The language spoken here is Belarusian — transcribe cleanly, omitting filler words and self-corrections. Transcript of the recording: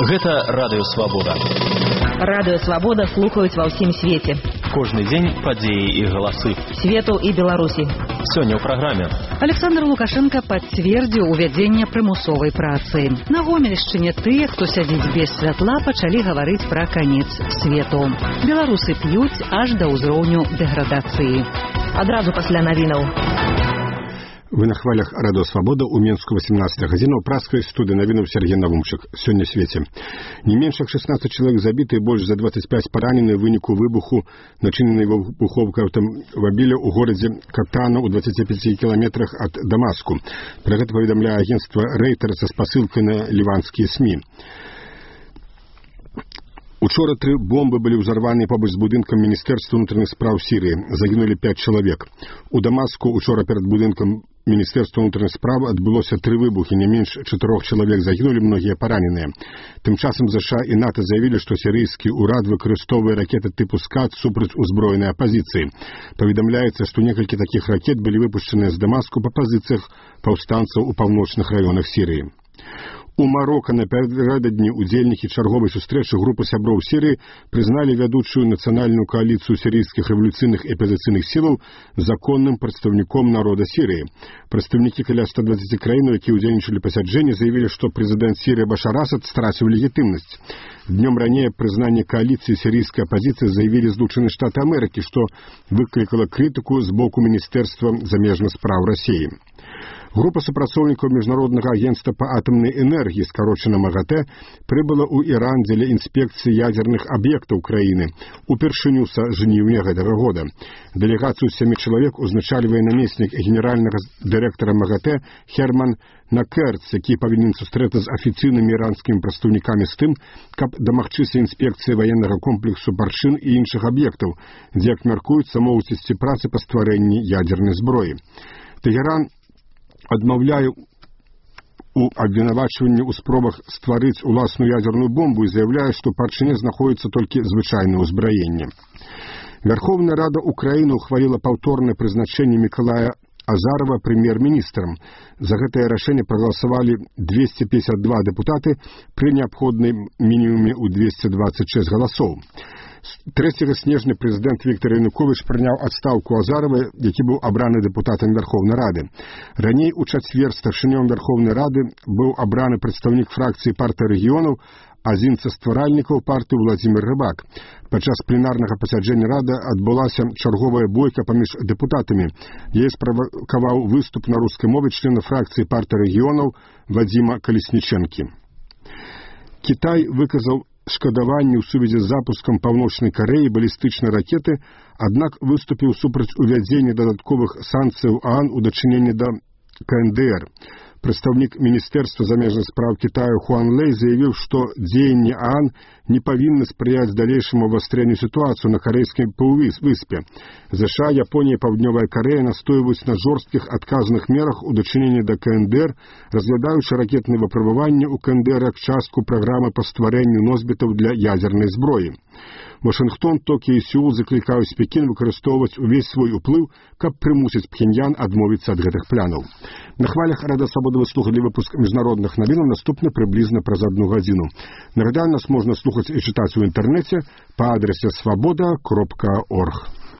Гэта Радыё Свабода. Радыё Свабода слухаюць ва ўсім свеце. Кожны дзень падзеі і галасы. Свету і Беларусі. Сёння ў праграме. Александр Лукашенко пацвердзіў увядзенне прымусовай працы. На Гомельшчыне тыя, хто сядзіць без святла, пачалі гаварыць пра канец свету. Беларусы п'юць аж да ўзроўню дэградацыі. Адразу пасля навінаў. Вы на хвалях Радыё Свабода ў Менску 18 гадзіна ў праскай студыі навінаў Сергей Навумчык. Сёння свеце. Не менш як 16 чалавек забіты і больш за 25 паранены ў выніку выбуху, начыненай выбуховкай аўтамабіля ў горадзе Катана ў 25 кіламетрах ад Дамаску. Пра гэта паведамляе агенцтва Reuters са спасылкай на ліванскія СМІ. Учора 3 бомбы былі ўзарваныя побач з будынкам Міністэрства ўнутраных спраў Сірыі. Загінулі 5 чалавек. У Дамаску учора перад будынкам Міністэрства ўнутраных спраў адбылося 3 выбухі, не менш 4 чалавек загінулі, многія параненыя. Тым часам США і НАТО заявілі, што сірыйскі ўрад выкарыстоўвае ракеты тыпу «Скат» супраць узброенай апазіцыі. Паведамляецца, што некалькі такіх ракет былі выпушчаныя з Дамаску па пазіцыях паўстанцаў у паўночных раёнах Сірыі. У Марока напярэдадні удзельнікі чарговай сустрэчы групы сяброў Сірыі прызналі вядучую нацыянальную кааліцыю сірыйскіх рэвалюцыйных і апазіцыйных сілаў законным прадстаўніком народа Сірыі. Прадстаўнікі каля 120 краін, якія ўдзельнічалі пасяджэнні, заявілі, што прэзідэнт Сірыі Башар Асад страціў легітымнасць. Днём раней прызнанне кааліцыі сірыйскай апазіцыі заявілі Злучаныя Штаты Амерыкі, што выклікала крытыку з боку Міністэрства замежных спраў Расіі. Група супрацоўнікаў Міжнароднага агентства па атамнай энергіі, скарочана МАГАТЭ, прыбыла ў Іран дзеля інспекцыі ядзерных аб'ектаў краіны упершыню са жніўня гэтага года. Дэлегацыю 7 чалавек узначальвае намеснік генеральнага дырэктара МАГАТЭ Херман Накерц, які павінен сустрэцца з афіцыйнымі іранскімі прадстаўнікамі з тым, каб дамагчыся інспекцыі ваеннага комплексу Баршын і іншых аб'ектаў, дзе, як мяркуецца, могуць ісці працы па стварэнні ядзернай зброі. Тэгеран адмаўляе у абвінавачванні ў спробах стварыць уласную ядзерную бомбу і заяўляе, што прычынай знаходзіцца толькі звычайнае ўзбраенне. Верховная Рада Украіны ухваліла паўторнае прызначэнне Мікалая Азарова прэм'ер-міністрам. За гэтае рашэнне прагаласавалі 252 дэпутаты пры неабходным мінімуме ў 226 галасоў. 3 снежня прэзідэнт Віктор Януковіч прыняў адстаўку Азарова, які быў абраны дэпутатам Верховнай Рады. Раней у чацвер старшынём Верховнай Рады быў абраны прадстаўнік фракцыі партыі рэгіёнаў, адзін са стваральнікаў партыі Владзімір Рыбак. Падчас пленарнага пасяджэння Рады адбылася чарговая бойка паміж дэпутатамі. Яе справакаваў выступ на рускай мове члена фракцыі партыі рэгіёнаў Вадзіма Калеснічэнкі. Кітай выказаў шкадаванне ў сувязі з запускам Паўночнай Карэі балістычнай ракеты, аднак выступіў супраць увядзення дадатковых санкцыяў ААН у дачыненні да КНДР. Прадстаўнік Міністэрства замежных спраў Кітаю Хуан Лэй заявіў, што дзеянні ААН не павінны спрыяць далейшаму абвастрэнню сітуацыю на карэйскай паўвыспе. ЗША, Японія і Паўднёвая Карэя настойваюць на жорсткіх адказных мерах у дачыненні да КНДР, разглядаючы ракетныя выпрабаванні ў КНДР як частку праграмы па стварэнню носьбітаў для ядзернай зброі. Вашынгтон, Токіо і Сеул заклікаюць Пекін выкарыстоўваць увесь свой уплыў, каб прымусіць Пхеньян адмовіцца ад гэтых планаў. На хвалях Радыё Свабода вы слухалі выпуск міжнародных навінаў, наступны прыблізна праз 1 гадзіну. Нагадаю, нас можна слухаць і чытаць у інтэрнэце па адрасе swaboda.org.